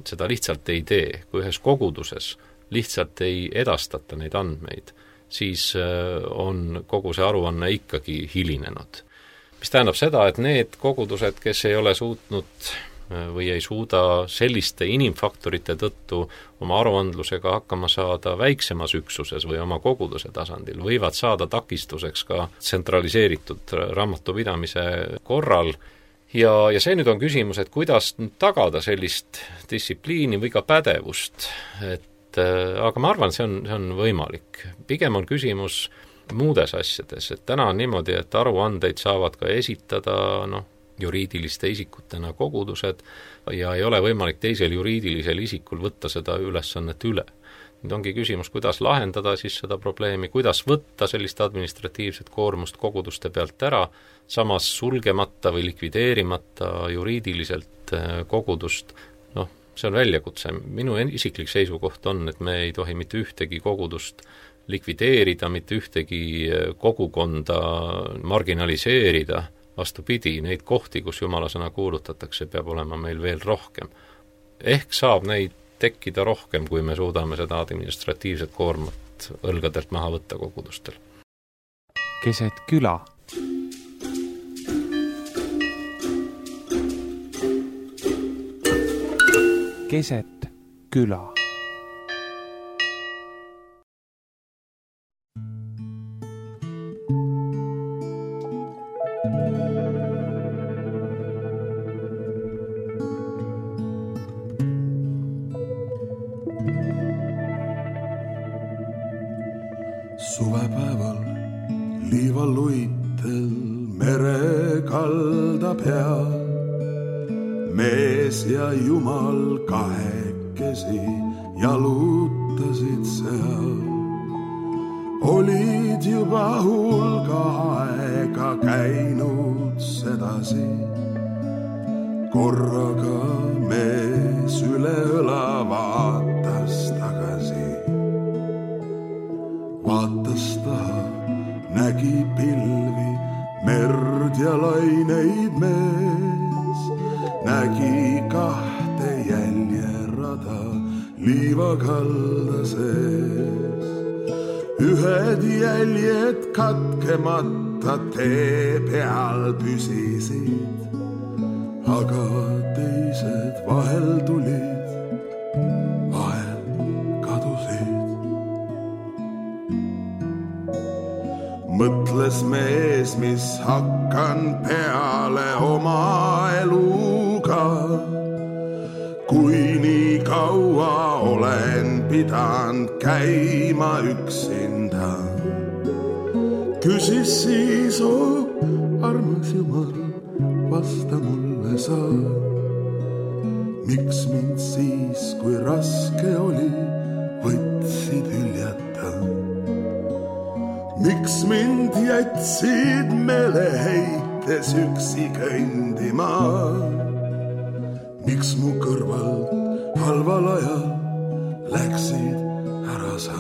seda lihtsalt ei tee, kui ühes koguduses lihtsalt ei edastata neid andmeid, siis on kogu see aruanne ikkagi hilinenud. Mis tähendab seda, et need kogudused, kes ei ole suutnud või ei suuda selliste inimfaktorite tõttu oma aruandlusega hakkama saada väiksemas üksuses või oma koguduse tasandil, võivad saada takistuseks ka tsentraliseeritud raamatupidamise korral. Ja, ja see nüüd on küsimus, et kuidas tagada sellist distsipliini või ka pädevust, et aga ma arvan, see on, see on võimalik. Pigem on küsimus muudes asjades, et täna on niimoodi, et aruandeid saavad ka esitada noh, juriidiliste isikutena kogudused ja ei ole võimalik teisel juriidilisel isikul võtta seda ülesannet üle. Nüüd ongi küsimus, kuidas lahendada siis seda probleemi, kuidas võtta sellist administratiivset koormust koguduste pealt ära, samas sulgemata või likvideerimata juriidiliselt kogudust. Noh, see on väljakutse. Minu isiklik seisukoht on, et me ei tohi mitte ühtegi kogudust likvideerida, mitte ühtegi kogukonda marginaliseerida. Vastupidi, neid kohti, kus Jumala sõna kuulutatakse, peab olema meil veel rohkem. Ehk saab neid tekkida rohkem, kui me suudame seda administratiivset koormat õlgadelt maha võtta kogudustel. Keset küla. Keset küla. Suvepäeval liivaluitel mere kalda peal mees ja Jumal kahekesi jalutasid seal. Olid juba hulga aega käinud sedasi, korraga mees üle õla vaatas tagasi. Vaatas taha, nägi pilvi, merd ja laineid mees, nägi kahte jäljerada liivakalda sees. Ühed jäljed katkemata tee peal püsisid, aga teised vahel tulid, vahel kadusid. Mõtles mees, mis hakkan peale oma eluga, kui nii kaua olen pidanud käima üksinda. Küsis siis, oh, armas Jumal, vasta mulle sa. Miks mind siis, kui raske oli, võtsid hüljata? Miks mind jätsid meeleheites üksi kõndima? Miks mu kõrvalt halval ajal läksid ära sa?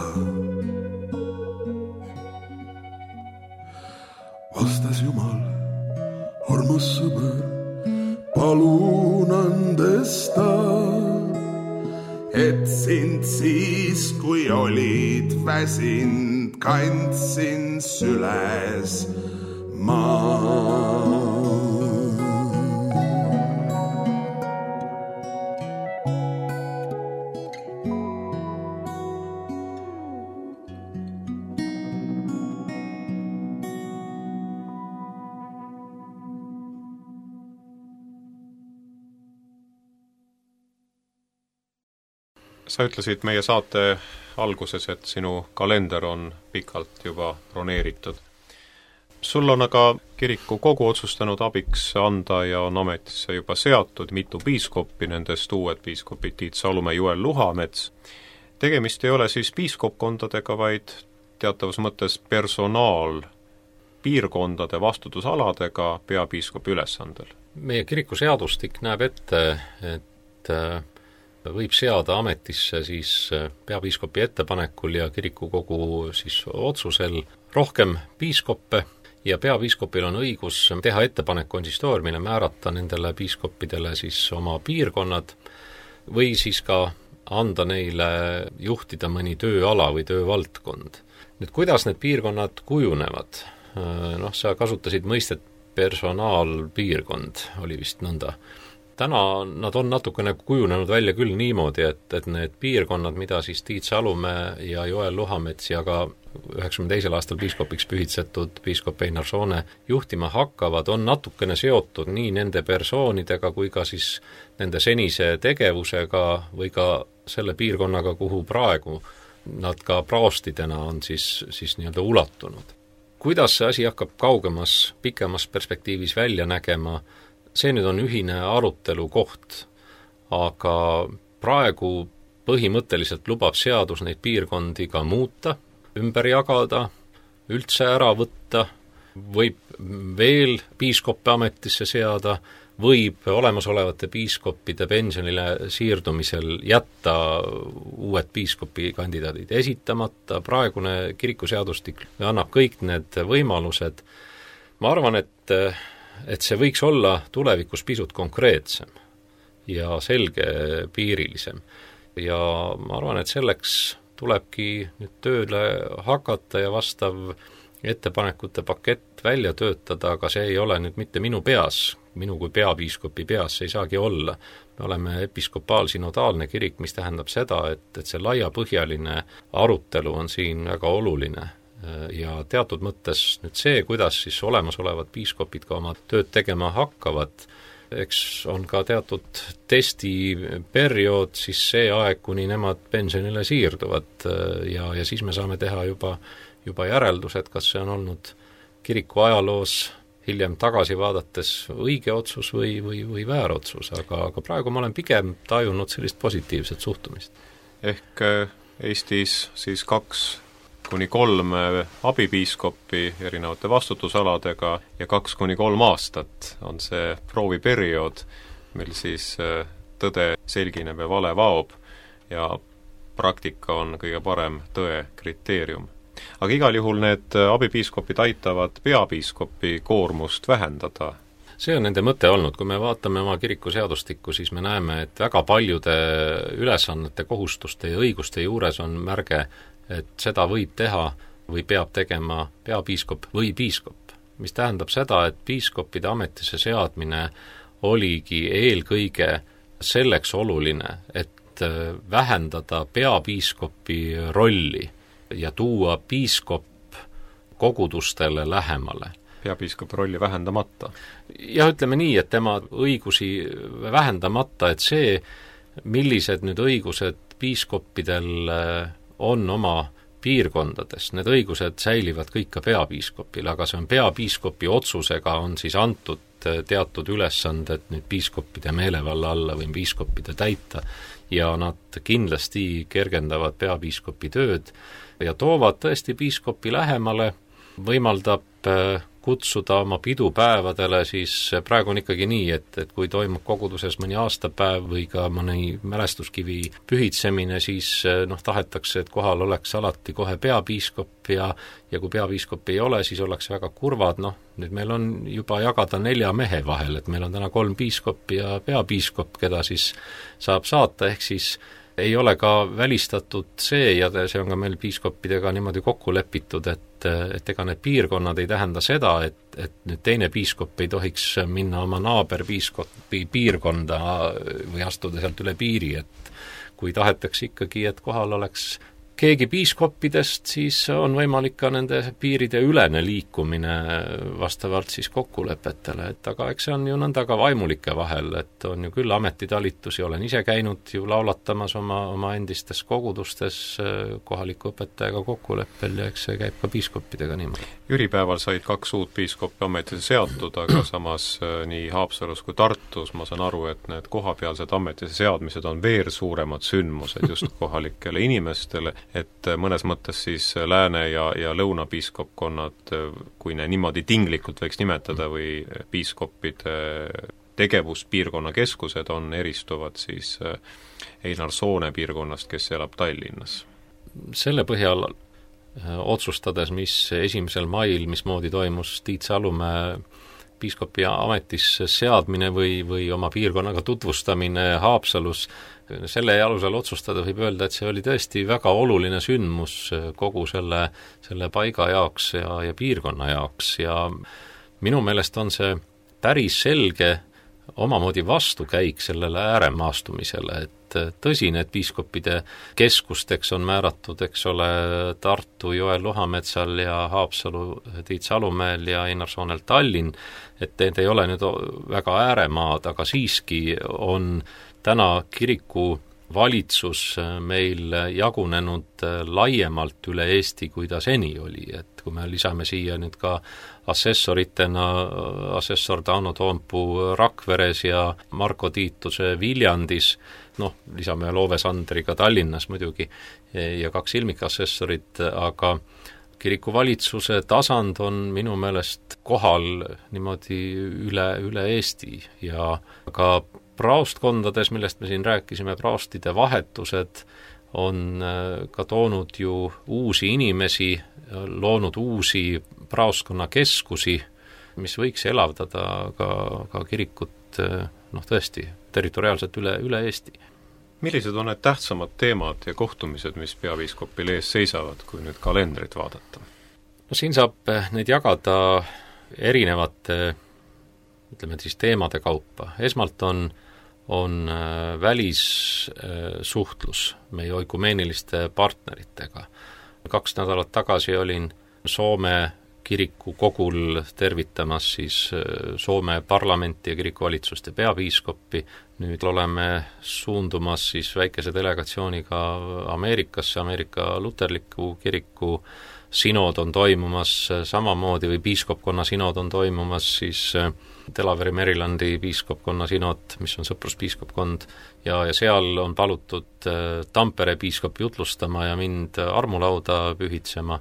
palun andesta, et sind siis, kui olid väsind, kandsin süles maa. Sa ütlesid meie saate alguses, et sinu kalender on pikalt juba broneeritud. Sul on aga kiriku kogu otsustanud abiks anda ja on ametisse juba seatud mitu piiskoppi, nendest uued piiskopid Tiit Salumäe, Joel Luhamets. Tegemist ei ole siis piiskopkondadega, vaid teatavas mõttes personaal piirkondade vastutusaladega peapiiskopi ülesandel. Meie kiriku seadustik näeb ette, et võib seada ametisse siis peapiiskopi ettepanekul ja kirikukogu siis otsusel rohkem piiskoppe ja peapiiskopil on õigus teha ettepanek konsistooriumile määrata nendele piiskoppidele siis oma piirkonnad või siis ka anda neile juhtida mõni tööala või töövaldkond. Nüüd, kuidas need piirkonnad kujunevad? Noh, sa kasutasid mõistet personaalpiirkond, oli vist nõnda. Täna nad on natukene kujunenud välja küll niimoodi, et, et need piirkonnad, mida siis Tiit Salumäe ja Joel Luhamets ja ka üheksakümne teisel aastal piiskopiks pühitsetud piiskop Einar Soone juhtima hakkavad, on natukene seotud nii nende persoonidega kui ka siis nende senise tegevusega või ka selle piirkonnaga, kuhu praegu nad ka praostidena on siis, siis nii-öelda ulatunud. Kuidas see asi hakkab kaugemas, pikemas perspektiivis välja nägema, see nüüd on ühine arutelu koht, aga praegu põhimõtteliselt lubab seadus neid piirkondi ka muuta, ümber jagada, üldse ära võtta, võib veel piiskoppe ametisse seada, võib olemasolevate piiskoppide pensionile siirdumisel jätta uued piiskopi kandidaadid esitamata, praegune kirikuseadustik annab kõik need võimalused. Ma arvan, et et see võiks olla tulevikus pisut konkreetsem ja selgepiirilisem. Ja ma arvan, et selleks tulebki nüüd tööle hakata ja vastav ettepanekute pakett välja töötada, aga see ei ole nüüd mitte minu peas, minu kui peapiiskopi peas see ei saagi olla. Me oleme episkopaalsinodaalne kirik, mis tähendab seda, et, et see laiapõhjaline arutelu on siin väga oluline. Ja teatud mõttes nüüd see, kuidas siis olemasolevad piiskopid ka oma tööd tegema hakkavad, eks on ka teatud testiperiood, siis see aeg, kuni nemad pensionile siirduvad ja, ja siis me saame teha juba, juba järeldused, kas see on olnud kiriku ajaloos hiljem tagasi vaadates õige otsus või, või, või väär otsus, aga, aga praegu ma olen pigem tajunud sellist positiivset suhtumist. Ehk Eestis siis kaks kuni kolm abipiiskoppi erinevate vastutusaladega ja kaks kuni kolm aastat on see prooviperiood, mil siis tõde selgineb ja vale vaob ja praktika on kõige parem tõe kriteerium. Aga igal juhul need abipiiskopid aitavad peapiiskopi koormust vähendada. See on nende mõte olnud, kui me vaatame oma kirikuseadustikku, siis me näeme, et väga paljude ülesannete, kohustuste ja õiguste juures on märge, et seda võib teha või peab tegema peapiiskop või piiskop, mis tähendab seda, et piiskopide ametisse seadmine oligi eelkõige selleks oluline, et vähendada peapiiskopi rolli ja tuua piiskop kogudustele lähemale. Peapiiskopi rolli vähendamata? Ja ütleme nii, et tema õigusi vähendamata, et see, millised nüüd õigused piiskoppidel on oma piirkondades, need õigused säilivad kõik ka peapiiskopil, aga see on peapiiskopi otsusega on siis antud teatud ülesanded nüüd piiskoppide meelevalla alla või piiskoppide täita ja nad kindlasti kergendavad peapiiskopi tööd ja toovad tõesti piiskopi lähemale, võimaldab kutsuda oma pidupäevadele, siis praegu on ikkagi nii, et, et kui toimub koguduses mõni aastapäev või ka mõni mälestuskivi pühitsemine, siis noh, tahetakse, et kohal oleks alati kohe peapiiskop ja, ja kui peapiiskop ei ole, siis ollakse väga kurvad, noh, nüüd meil on juba jagada nelja mehe vahel, et meil on täna kolm piiskopi ja peapiiskop, keda siis saab saata, ehk siis ei ole ka välistatud see, ja see on ka meil piiskoppidega niimoodi kokku lepitud, et, et ega need piirkonnad ei tähenda seda, et, et nüüd teine piiskop ei tohiks minna oma naaberpiiskopi piirkonda või astuda sealt üle piiri, et kui tahetakse ikkagi, et kohal oleks keegi piiskoppidest, siis on võimalik ka nende piiride ülene liikumine vastavalt siis kokkulepetele, et aga eks see on ju nõnda ka vaimulike vahel, et on ju küll ametitalitusi, olen ise käinud ju laulatamas oma, oma endistes kogudustes kohaliku õpetajaga kokkuleppel ja eks see käib ka piiskoppidega niimoodi. Jüripäeval said kaks uut piiskopi ametisse seatud, aga samas nii Haapsalus kui Tartus ma saan aru, et need kohapealsed ametisse seadmised on veel suuremad sündmused just kohalikele inimestele, et mõnes mõttes siis lääne- ja, ja lõunapiiskopkonnad, kui ne niimoodi tinglikult võiks nimetada, või piiskoppide tegevuspiirkonna keskused on eristuvad siis Einar Soone piirkonnast, kes elab Tallinnas. Selle põhjal otsustades, mis esimesel mail, mismoodi toimus Tiit Salumäe piiskopi ametisse seadmine või, või oma piirkonnaga tutvustamine Haapsalus, selle alusel otsustada võib öelda, et see oli tõesti väga oluline sündmus kogu selle, selle paiga jaoks ja, ja piirkonna jaoks ja minu meelest on see päris selge omamoodi vastukäik sellele ääremaastumisele, et tõsi, need piiskopide keskusteks on määratud, eks ole, Tartu Joel Luhametsal ja Haapsalu Tiit Salumäel ja Einar Soonel Tallinn, et need ei ole nüüd väga ääremaad, aga siiski on täna kiriku valitsus meil jagunenud laiemalt üle Eesti, kui ta seni oli, et kui me lisame siia nüüd ka assessoritena assessor Tauno Toompuu Rakveres ja Marko Tiituse Viljandis, noh, lisame Loove Sandriga Tallinnas muidugi ja kaks ilmikassessorit, aga kiriku valitsuse tasand on minu meelest kohal niimoodi üle, üle Eesti ja ka praostkondades, millest me siin rääkisime, praostide vahetused on ka toonud ju uusi inimesi, loonud uusi praostkonnakeskusi, mis võiks elavdada ka, ka kirikut noh, tõesti territoriaalselt üle, üle Eesti. Millised on need tähtsamad teemad ja kohtumised, mis peapiiskopil ees seisavad, kui nüüd kalendrit vaadata? No siin saab neid jagada erinevate, ütleme siis teemade kaupa. Esmalt on on välissuhtlus meie oikumeeniliste partneritega. Kaks nädalat tagasi olin Soome kiriku kogul tervitamas siis Soome parlamenti ja kirikuvalitsust ja peapiiskoppi. Nüüd oleme suundumas siis väikese delegatsiooniga Ameerikasse, Ameerika luterliku kiriku sinod on toimumas samamoodi või piiskopkonna sinod on toimumas siis Delaware Marylandi piiskopkonna sinod, mis on sõpruspiiskopkond, ja, ja seal on palutud Tampere piiskopi jutlustama ja mind armulauda pühitsema.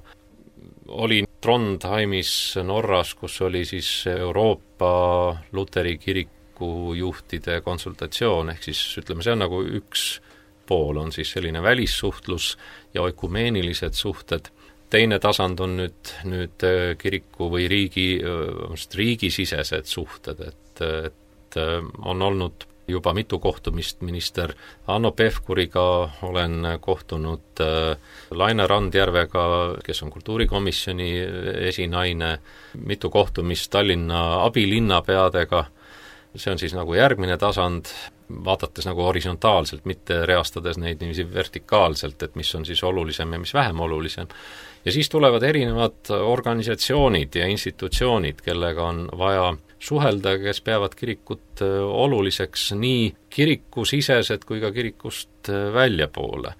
Olin Trondheimis Norras, kus oli siis Euroopa luteri kiriku juhtide konsultatsioon, ehk siis ütleme, see on nagu üks pool, on siis selline välissuhtlus ja oikumeenilised suhted. Teine tasand on nüüd, nüüd kiriku või riigi, riigisisesed suhted, et, et on olnud juba mitu kohtumist minister Hanno Pevkuriga, olen kohtunud Laine Randjärvega, kes on kultuurikomisjoni esinaine, mitu kohtumist Tallinna abilinnapeadega, see on siis nagu järgmine tasand, vaadates nagu horisontaalselt, mitte reastades neid niiviisi vertikaalselt, et mis on siis olulisem ja mis vähem olulisem. Ja siis tulevad erinevad organisatsioonid ja institutsioonid, kellega on vaja suhelda, kes peavad kirikut oluliseks nii kirikusisesed kui ka kirikust väljapoole.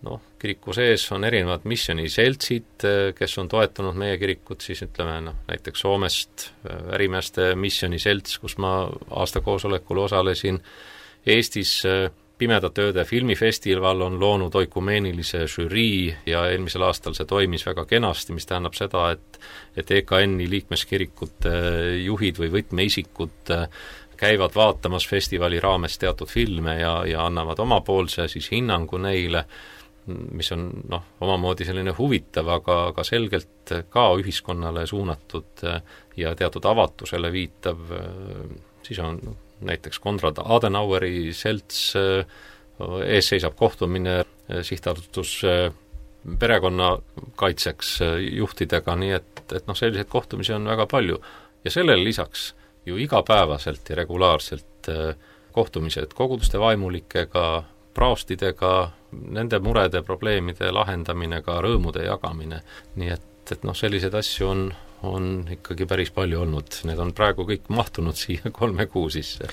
Noh, kiriku sees on erinevad missiooniseltsid, kes on toetanud meie kirikut, siis ütleme, noh, näiteks Soomest ärimeeste missiooniselts, kus ma aastakoosolekul osalesin, Eestis Pimedate ööde filmifestival on loonud oikumeenilise žürii ja eelmisel aastal see toimis väga kenasti, mis tähendab seda, et, et E K N-i liikmeskirikute juhid või võtmeisikud käivad vaatamas festivali raames teatud filme ja, ja annavad omapoolse siis hinnangu neile, mis on noh, omamoodi selline huvitav, aga, aga selgelt ka ühiskonnale suunatud ja teatud avatusele viitav, siis on näiteks Konrad Adenaueri selts, ees seisab kohtumine sihtasutus perekonnakaitseks juhtidega, nii et, et noh, selliseid kohtumisi on väga palju. Ja sellele lisaks ju igapäevaselt ja regulaarselt kohtumised koguduste vaimulikega, praostidega, nende murede, probleemide lahendamine, ka rõõmude jagamine. Nii et, et noh, selliseid asju on on ikkagi päris palju olnud. Need on praegu kõik mahtunud siia kolme kuu sisse.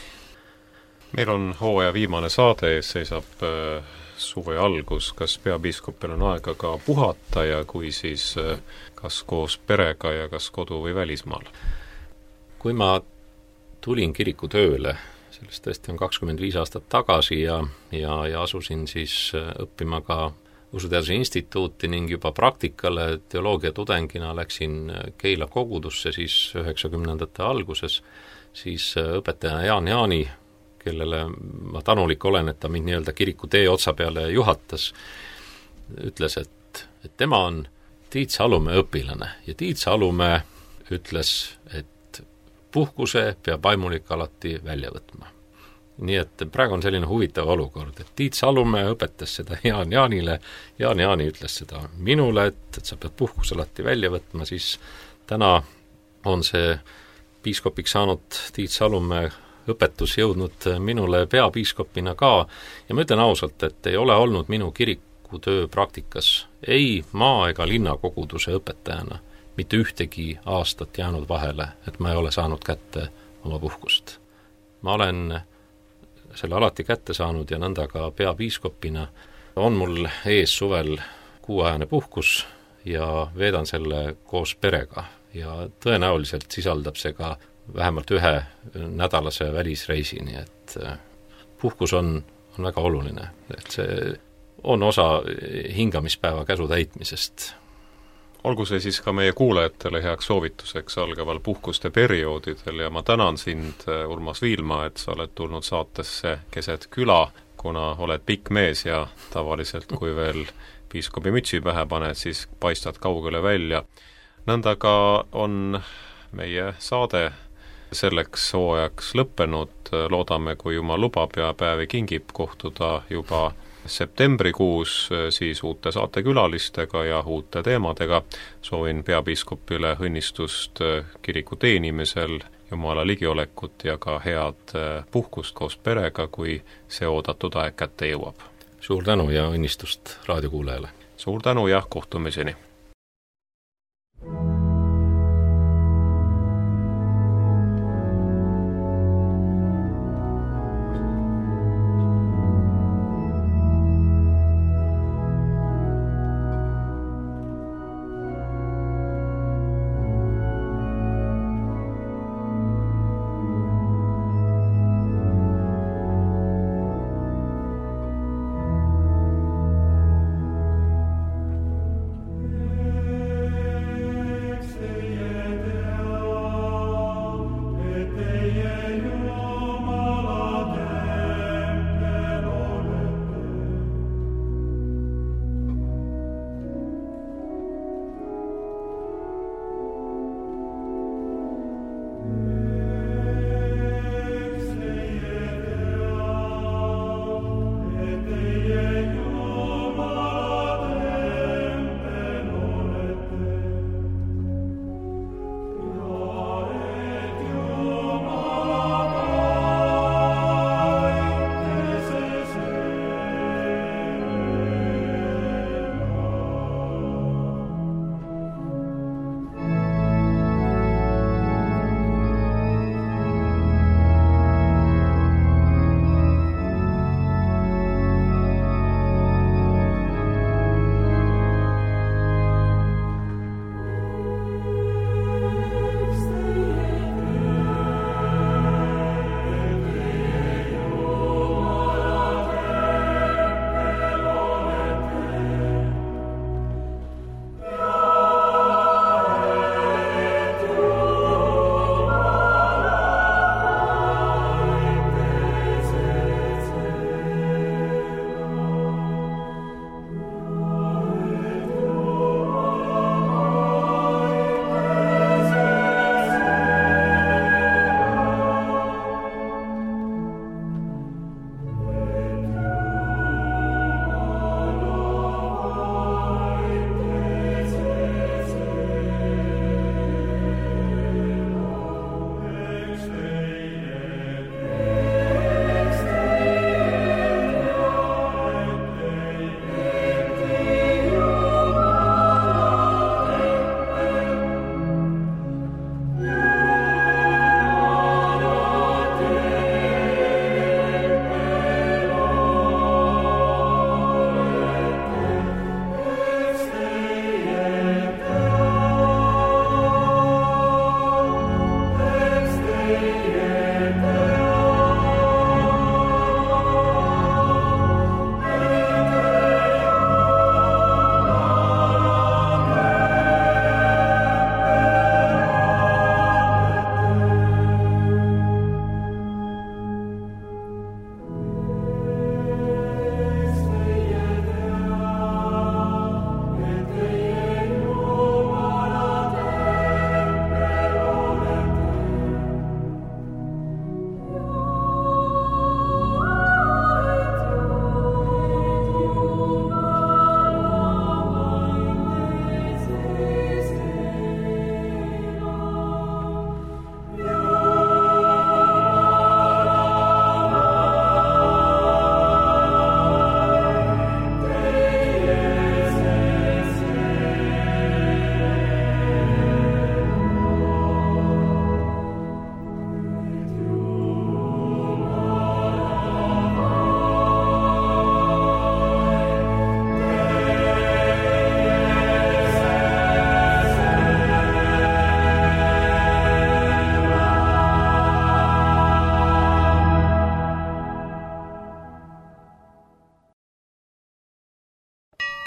Meil on hooaja viimane saade, ees seisab äh, suve algus. Kas peapiiskopil on aega ka puhata ja kui siis äh, kas koos perega ja kas kodu või välismaal? Kui ma tulin kiriku tööle, sellest tõesti on kakskümmend viis aastat tagasi ja, ja, ja asusin siis õppima ka Usuteaduse instituuti ning juba praktikale teoloogia tudengina läksin Keila kogudusse siis üheksakümnendate alguses, siis õpetaja Jaan Jaani, kellele ma tänulik olen, et ta mind nii-öelda kiriku tee otsa peale juhatas, ütles, et, et tema on Tiit Salumäe õpilane ja Tiit Salumäe ütles, et puhkuse peab vaimulik alati välja võtma. Nii et praegu on selline huvitav olukord, et Tiit Salumäe õpetas seda Jaan Jaanile, Jaan Jaani ütles seda minule, et, et sa pead puhkus alati välja võtma, siis täna on see piiskopiks saanud Tiit Salumäe õpetus jõudnud minule peapiiskopina ka ja ma ütlen ausalt, et ei ole olnud minu kirikutöö praktikas ei maa- ega linnakoguduse õpetajana mitte ühtegi aastat jäänud vahele, et ma ei ole saanud kätte oma puhkust. Ma olen selle alati kätte saanud ja nõnda ka peapiiskopina on mul ees suvel kuuajane puhkus ja veedan selle koos perega ja tõenäoliselt sisaldab see ka vähemalt ühe nädalase välisreisi, nii et puhkus on, on väga oluline, et see on osa hingamispäeva käsu täitmisest. Olgu see siis ka meie kuulajatele heaks soovituseks algaval puhkuste perioodidel ja ma tänan sind, Urmas Viilma, et sa oled tulnud saatesse Keset küla, kuna oled pikk mees ja tavaliselt kui veel piiskopi mütsi pähe paned, siis paistad kaugele välja. Nõnda ka on meie saade selleks hooajaks lõppenud, loodame, kui Jumal lubab ja päevi kingib kohtuda juba septembrikuus siis uute saatekülalistega ja uute teemadega. Soovin peapiiskopile õnnistust kiriku teenimisel, Jumala ligiolekut ja ka head puhkust koos perega, kui see oodatud aeg kätte jõuab. Suur tänu ja õnnistust raadiokuulajale. Suur tänu ja kohtumiseni.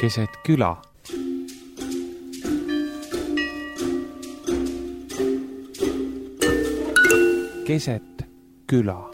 keset küla. Keset küla.